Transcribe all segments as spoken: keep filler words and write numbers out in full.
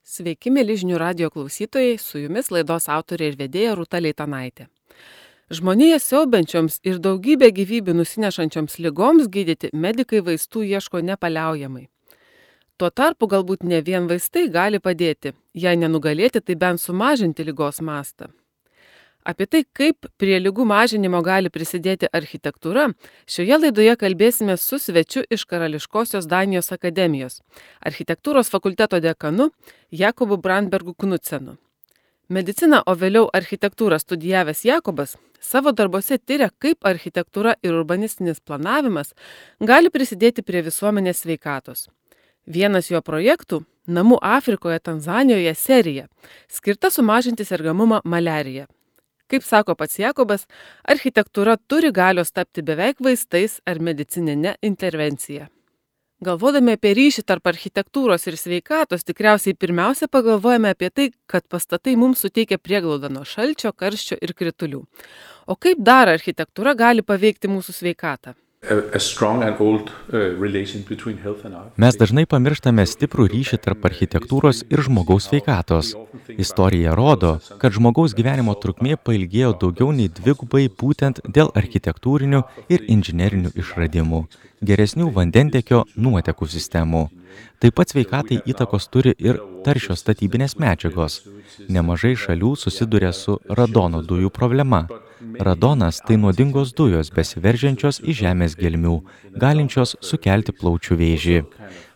Sveiki, mėly žinių radijo klausytojai, su jumis laidos autorė ir vedėja Rūta Leitanaitė. Žmonėje siaubiančioms ir daugybę gyvybių nusinešančioms ligoms gydyti medikai vaistų ieško nepaliaujamai. Tuo tarpu galbūt ne vien vaistai gali padėti, jei nenugalėti, tai bent sumažinti ligos mastą. Apie tai, kaip prie ligų mažinimo gali prisidėti architektūra, šioje laidoje kalbėsime su svečiu iš Karališkosios Danijos akademijos, architektūros fakulteto dekanu Jakobu Brandbergu Knudsenu. Mediciną, o vėliau architektūrą studijavęs Jakobas savo darbose tyria, kaip architektūra ir urbanistinis planavimas gali prisidėti prie visuomenės sveikatos. Vienas jo projektų – Namų Afrikoje, Tanzanijoje serija, skirta sumažinti sergamumą maliarija. Kaip sako pats Jakobas, architektūra turi galios tapti beveik vaistais ar medicininė intervencija. Galvodami apie ryšį tarp architektūros ir sveikatos, tikriausiai pirmiausia pagalvojame apie tai, kad pastatai mums suteikia prieglaudą nuo šalčio, karščio ir kritulių. O kaip dar architektūra gali paveikti mūsų sveikatą? Mes dažnai pamirštame stiprų ryšį tarp architektūros ir žmogaus sveikatos. Istorija rodo, kad žmogaus gyvenimo trukmė pailgėjo daugiau nei dvigubai būtent dėl architektūrinių ir inžinerinių išradimų, geresnių vandentiekio nuotekų sistemų. Taip pat sveikatai įtakos turi ir taršios statybinės medžiagos. Nemažai šalių susiduria su radono dujų problema. Radonas – tai nuodingos dujos besiveržiančios į žemės gelmių, galinčios sukelti plaučių vėžį.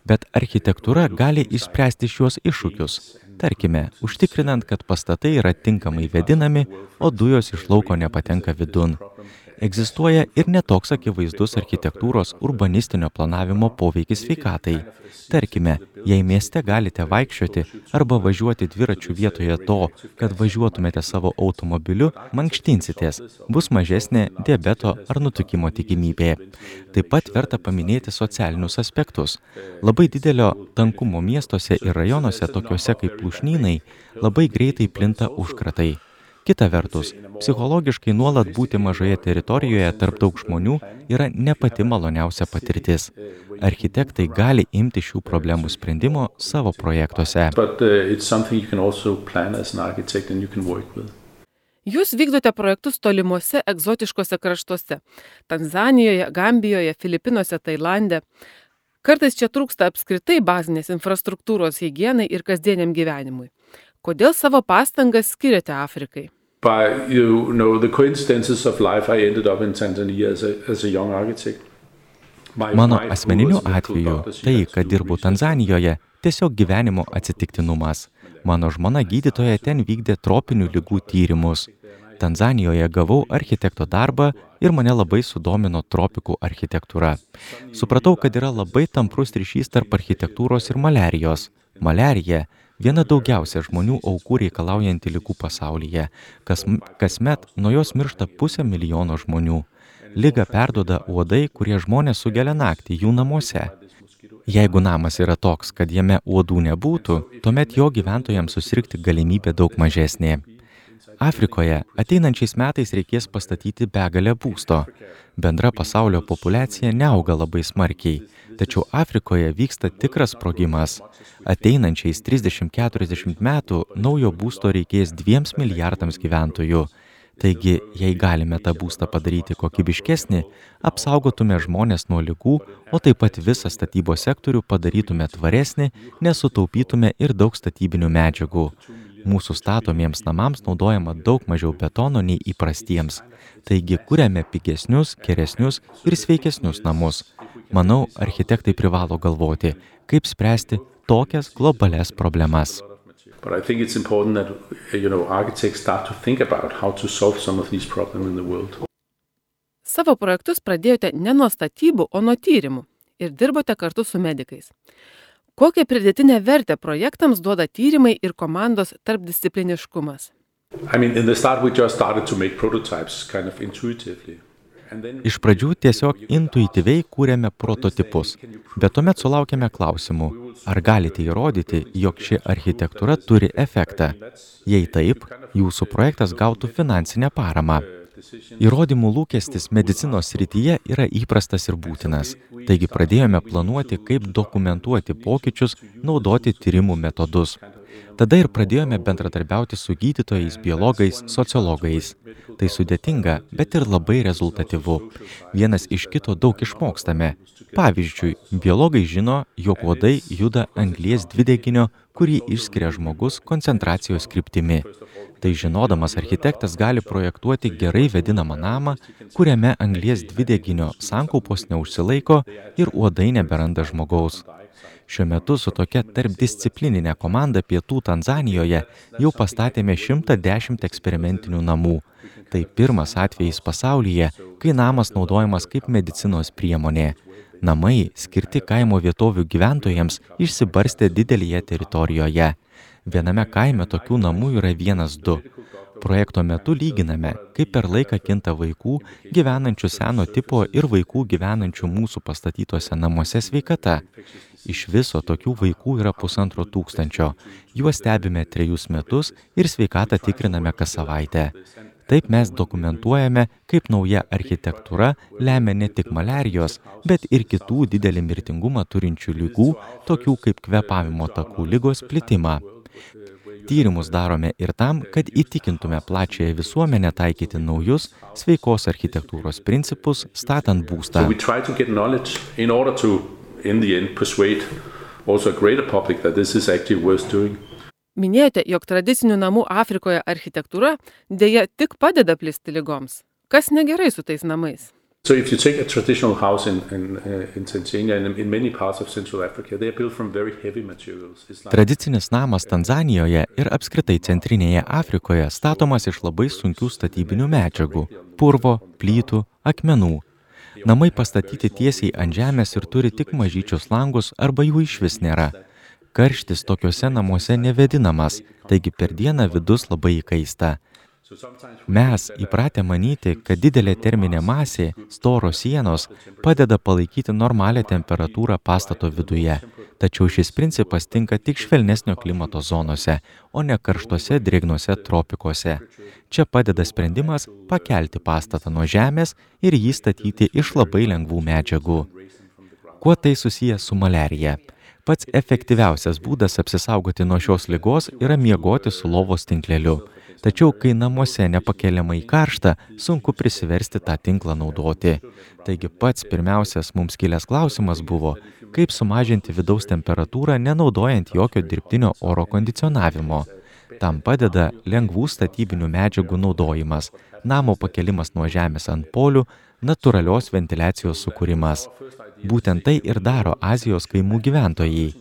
Bet architektūra gali išspręsti šiuos iššūkius. Tarkime, užtikrinant, kad pastatai yra tinkamai vėdinami, o dujos iš lauko nepatenka vidun. Egzistuoja ir netoks akivaizdus architektūros urbanistinio planavimo poveikis sveikatai. Tarkime, jei mieste galite vaikščioti arba važiuoti dviračių vietoje to, kad važiuotumėte savo automobiliu, mankštinsitės, bus mažesnė diabeto ar nutukimo tikimybė. Taip pat verta paminėti socialinius aspektus. Labai didelio tankumo miestuose ir rajonuose, tokiuose kaip lūšnynai, labai greitai plinta užkratai. Kita vertus, psichologiškai nuolat būti mažoje teritorijoje tarp daug žmonių yra ne pati maloniausia patirtis. Architektai gali imti šių problemų sprendimo savo projektuose. Jūs vykdote projektus tolimuose egzotiškose kraštuose – Tanzanijoje, Gambijoje, Filipinuose, Tailande. Kartais čia trūksta apskritai bazinės infrastruktūros higienai ir kasdieniam gyvenimui. Kodėl savo pastangas skiriate Afrikai? By, you know, the coincidences of life, I ended up in Tanzania as a, as a young architect. My, Mano my asmeniniu atveju, tai, kad dirbu Tanzanijoje, tiesiog gyvenimo atsitiktinumas. Mano žmona gydytoja ten vykdė tropinių ligų tyrimus. Tanzanijoje gavau architekto darbą ir mane labai sudomino tropikų architektūra. Supratau, kad yra labai tamprus ryšys tarp architektūros ir maliarijos. Maliarija – viena daugiausia žmonių aukų reikalaujanti ligų pasaulyje. Kas, kasmet nuo jos miršta pusę milijono žmonių. Ligą perduoda uodai, kurie žmonės sugelia naktį jų namuose. Jeigu namas yra toks, kad jame uodų nebūtų, tuomet jo gyventojams susirgti galimybė daug mažesnė. Afrikoje ateinančiais metais reikės pastatyti begalę būsto. Bendra pasaulio populiacija neauga labai smarkiai, tačiau Afrikoje vyksta tikras sprogimas. Ateinančiais trisdešimt keturiasdešimt metų naujo būsto reikės dviems milijardams gyventojų. Taigi, jei galime tą būstą padaryti kokybiškesnį, apsaugotume žmonės nuo ligų, o taip pat visą statybos sektorių padarytume tvaresnį, nesutaupytume ir daug statybinių medžiagų. Mūsų statomiems namams naudojama daug mažiau betono nei įprastiems. Taigi, kuriame pigesnius, geresnius ir sveikesnius namus. Manau, architektai privalo galvoti, kaip spręsti tokias globalias problemas. But I think it's important that, you know, architects start to think about how to solve some of these problems in the world. Savo projektus pradėjote ne nuo statybų, o nuo tyrimų ir dirbote kartu su medikais. Kokią pridėtinę vertę projektams duoda tyrimai ir komandos tarpdiscipliniškumas? I mean, in the start we just started to make prototypes kind of intuitively. Iš pradžių tiesiog intuityviai kūrėme prototipus, bet tuomet sulaukėme klausimų, ar galite įrodyti, jog ši architektūra turi efektą. Jei taip, jūsų projektas gautų finansinę paramą. Įrodymų lūkestis medicinos srityje yra įprastas ir būtinas. Taigi pradėjome planuoti, kaip dokumentuoti pokyčius, naudoti tyrimų metodus. Tada ir pradėjome bendradarbiauti su gydytojais, biologais, sociologais. Tai sudėtinga, bet ir labai rezultatyvu. Vienas iš kito daug išmokstame. Pavyzdžiui, biologai žino, jog uodai juda anglies dvideginio, kurį išskiria žmogus koncentracijos kryptimi. Tai žinodamas architektas gali projektuoti gerai vėdinamą namą, kuriame anglies dvideginio sankaupos neužsilaiko ir uodai neberanda žmogaus. Šiuo metu su tokia tarpdisciplininė komanda pietų Tanzanijoje jau pastatėme šimtą dešimt eksperimentinių namų. Tai pirmas atvejis pasaulyje, kai namas naudojamas kaip medicinos priemonė. Namai, skirti kaimo vietovių gyventojams, išsibarstė didelėje teritorijoje. Viename kaime tokių namų yra vienas du. Projekto metu lyginame, kaip per laiką kinta vaikų, gyvenančių seno tipo ir vaikų gyvenančių mūsų pastatytuose namuose sveikata. Iš viso tokių vaikų yra pusantro tūkstančio. Juos stebime trejus metus ir sveikatą tikriname kas savaitę. Taip mes dokumentuojame, kaip nauja architektūra lemia ne tik maliarijos, bet ir kitų didelį mirtingumą turinčių ligų, tokių kaip kvėpavimo takų ligos plitimą. Tyrimus darome ir tam, kad įtikintume plačiąją visuomenę taikyti naujus sveikos architektūros principus, statant būstą. So we try to get knowledge in order to, in the end, persuade also a greater public that this is actually worth doing. Minėjote, jog tradicinių namų Afrikoje architektūra dėja tik padeda plisti ligoms. Kas negerai su tais namais? So if you take a traditional house in, in, uh, in Tanzania and in many parts of Central Africa, they are built from very heavy materials. Like... Tradicinis namas Tanzanijoje ir apskritai Centrinėje Afrikoje statomas iš labai sunkių statybinių medžiagų – purvo, plytų, akmenų. Namai pastatyti tiesiai ant žemės ir turi tik mažyčius langus arba jų išvis nėra. Karštis tokiuose namuose nevėdinamas, taigi per dieną vidus labai įkaista. Mes įpratę manyti, kad didelė terminė masė, storos sienos, padeda palaikyti normalią temperatūrą pastato viduje. Tačiau šis principas tinka tik švelnesnio klimato zonose, o ne karštuose drėgnuose tropikuose. Čia padeda sprendimas pakelti pastatą nuo žemės ir jį statyti iš labai lengvų medžiagų. Kuo tai susiję su maliarija? Pats efektyviausias būdas apsisaugoti nuo šios ligos yra miegoti su lovos tinkleliu. Tačiau, kai namuose nepakeliamai karšta, sunku prisiversti tą tinklą naudoti. Taigi pats pirmiausias mums kilęs klausimas buvo, kaip sumažinti vidaus temperatūrą, nenaudojant jokio dirbtinio oro kondicionavimo. Tam padeda lengvų statybinių medžiagų naudojimas, namo pakelimas nuo žemės ant polių, natūralios ventiliacijos sukūrimas. Būtent tai ir daro Azijos kaimų gyventojai.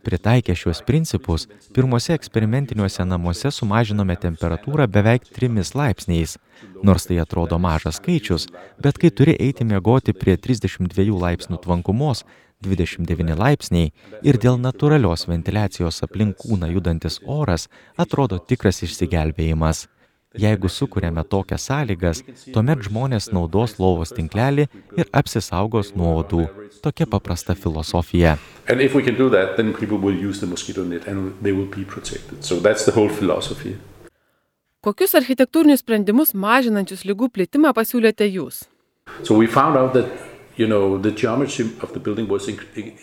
Pritaikę šiuos principus, pirmose eksperimentiniuose namuose sumažinome temperatūrą beveik trimis laipsniais. Nors tai atrodo mažas skaičius, bet kai turi eiti miegoti prie trisdešimt dviejų laipsnių tvankumos, dvidešimt devyni laipsniai ir dėl natūralios ventiliacijos aplink kūną judantis oras atrodo tikras išsigelbėjimas. Jeigu sukuriame tokias sąlygas, tuomet žmonės naudos lovos tinklelį ir apsisaugos nuo uodų. Tokia paprasta filosofija. And if we can do that, then people will use the mosquito net and they will be protected. So that's the whole philosophy. Kokius architektūrinius sprendimus mažinančius ligų plitimą pasiūlėte jūs? So we found out that, you know, the geometry of the building was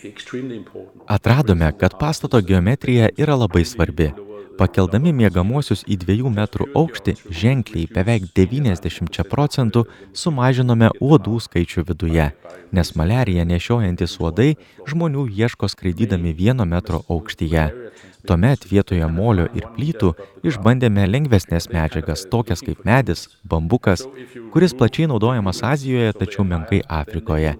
extremely important. Atradome, kad pastato geometrija yra labai svarbi. Pakeldami miegamuosius į dviejų metrų aukštį ženkliai beveik devyniasdešimčia procentų sumažinome uodų skaičių viduje, nes maliariją nešiojantys uodai žmonių ieško skraidydami vieno metro aukštyje. Tuomet vietoje molio ir plytų išbandėme lengvesnės medžiagas, tokias kaip medis, bambukas, kuris plačiai naudojamas Azijoje, tačiau menkai Afrikoje.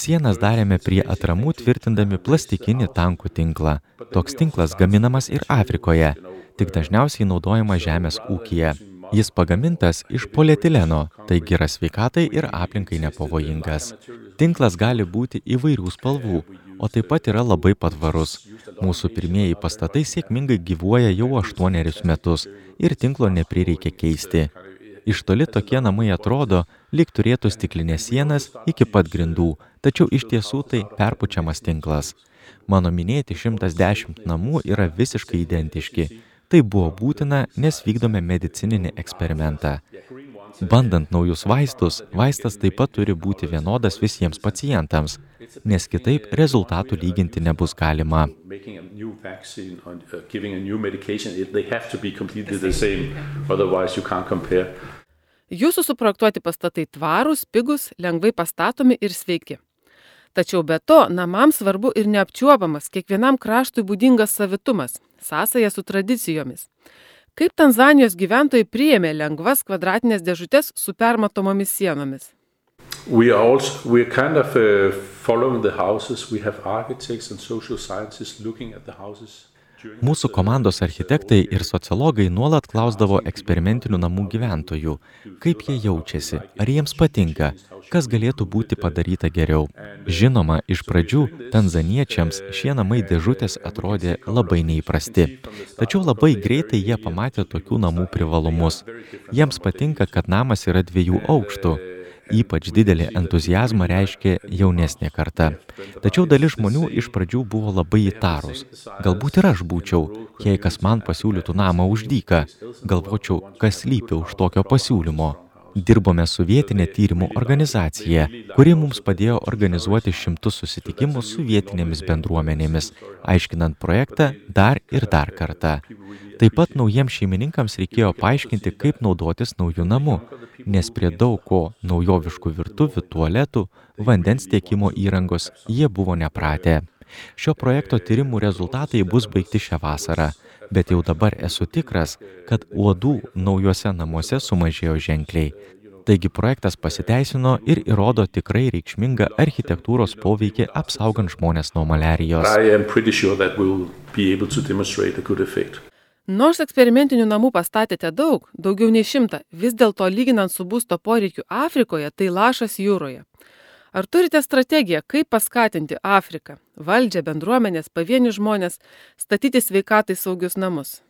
Sienas darėme prie atramų tvirtindami plastikinį tankų tinklą. Toks tinklas gaminamas ir Afrikoje, tik dažniausiai naudojamas žemės ūkyje. Jis pagamintas iš polietileno, taigi yra sveikatai ir aplinkai nepavojingas. Tinklas gali būti įvairių spalvų, o taip pat yra labai patvarus. Mūsų pirmieji pastatai sėkmingai gyvuoja jau aštuonerius metus ir tinklo neprireikia keisti. Iš toli tokie namai atrodo, lyg turėtų stiklinės sienas iki pat grindų, tačiau iš tiesų tai perpučiamas tinklas. Mano minėti šimtas dešimt namų yra visiškai identiški. Tai buvo būtina, nes vykdome medicininį eksperimentą. Bandant naujus vaistus, vaistas taip pat turi būti vienodas visiems pacientams, nes kitaip rezultatų lyginti nebus galima. Making a new vaccine or uh, giving a new medication, it, they have to be completely the same, otherwise you can't compare. Jūsų suprojektuoti pastatai tvarūs, pigus, lengvai pastatomi ir sveiki. Tačiau be to, namams svarbu ir neapčiuopamas, kiekvienam kraštui būdingas savitumas, sąsaja su tradicijomis. Kaip Tanzanijos gyventojai priėmė lengvas kvadratinės dėžutės su permatomomis sienomis? We are also we are kind of uh, following the houses. We have architects and social scientists looking at the houses. Mūsų komandos architektai ir sociologai nuolat klausdavo eksperimentinių namų gyventojų, kaip jie jaučiasi, ar jiems patinka, kas galėtų būti padaryta geriau. Žinoma, iš pradžių tanzaniečiams šie namai dėžutės atrodė labai neįprasti. Tačiau labai greitai jie pamatė tokių namų privalumus. Jiems patinka, kad namas yra dviejų aukštų. Ypač didelį entuziazmą reiškė jaunesnė karta. Tačiau dalis žmonių iš pradžių buvo labai įtarūs. Galbūt ir aš būčiau, jei kas man pasiūlytų namą už dyką. Galvočiau, kas slypi už tokio pasiūlymo. Dirbome su vietinė tyrimų organizacija, kuri mums padėjo organizuoti šimtus susitikimų su vietinėmis bendruomenėmis, aiškinant projektą dar ir dar kartą. Taip pat naujiems šeimininkams reikėjo paaiškinti, kaip naudotis naujų namų, nes prie daug ko naujoviškų virtuvių, tualetų, vandens tiekimo įrangos jie buvo nepratę. Šio projekto tyrimų rezultatai bus baigti šią vasarą, bet jau dabar esu tikras, kad uodų naujuose namuose sumažėjo ženkliai. Taigi projektas pasiteisino ir įrodo tikrai reikšmingą architektūros poveikį apsaugant žmones nuo maliarijos. I am pretty sure that we'll be able to demonstrate a good effect. Nors eksperimentinių namų pastatėte daug, daugiau nei šimtą, vis dėlto lyginant su būsto poreikiu Afrikoje, tai lašas jūroje. Ar turite strategiją, kaip paskatinti Afriką, valdžią, bendruomenės, pavienius žmonės, statyti sveikatai saugius namus?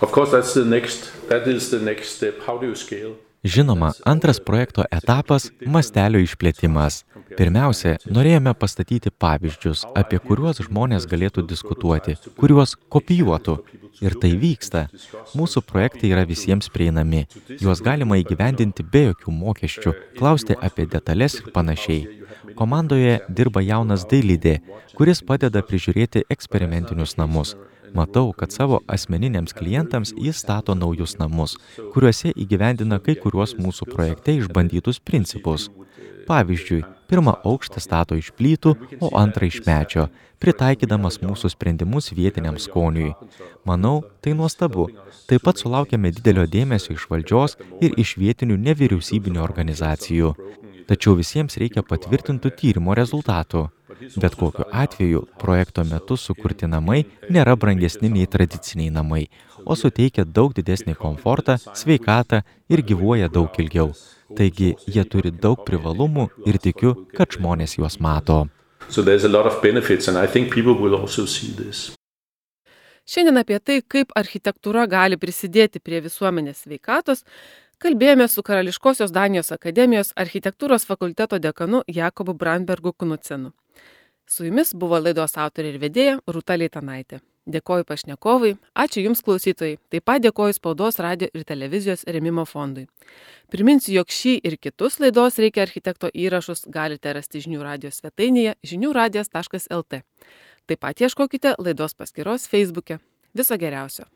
Of course, that's the next, that is the next step. How do you scale? Žinoma, antras projekto etapas – mastelio išplėtimas. Pirmiausia, norėjome pastatyti pavyzdžius, apie kuriuos žmonės galėtų diskutuoti, kuriuos kopijuotų. Ir tai vyksta. Mūsų projektai yra visiems prieinami. Juos galima įgyvendinti be jokių mokesčių, klausti apie detalės ir panašiai. Komandoje dirba jaunas dailidė, kuris padeda prižiūrėti eksperimentinius namus. Matau, kad savo asmeniniams klientams jis stato naujus namus, kuriuose įgyvendina kai kuriuos mūsų projekte išbandytus principus. Pavyzdžiui, pirmą aukštą stato iš plytų, o antrą iš medžio, pritaikydamas mūsų sprendimus vietiniam skoniui. Manau, tai nuostabu. Taip pat sulaukėme didelio dėmesio iš valdžios ir iš vietinių nevyriausybinių organizacijų. Tačiau visiems reikia patvirtintų tyrimo rezultatų. Bet kokiu atveju, projekto metu sukurti namai nėra brangesni nei tradiciniai namai, o suteikia daug didesnį komfortą, sveikatą ir gyvuoja daug ilgiau. Taigi, jie turi daug privalumų ir tikiu, kad žmonės juos mato. So there's a lot of benefits and I think people will also see this. Šiandien apie tai, kaip architektūra gali prisidėti prie visuomenės sveikatos, kalbėjome su Karališkosios Danijos akademijos architektūros fakulteto dekanu Jakobu Brandbergu Knudsenu. Su jumis buvo laidos autorė ir vedėja Rūta Leitanaitė. Dėkoju pašnekovui, ačiū Jums klausytojai, taip pat dėkoju Spaudos, radio ir televizijos rėmimo fondui. Priminsiu, jog šį ir kitus laidos Reikia architekto įrašus galite rasti žinių radijos svetainėje žinių radijas taškas el tė. Taip pat ieškokite laidos paskyros Facebook'e. Viso geriausio.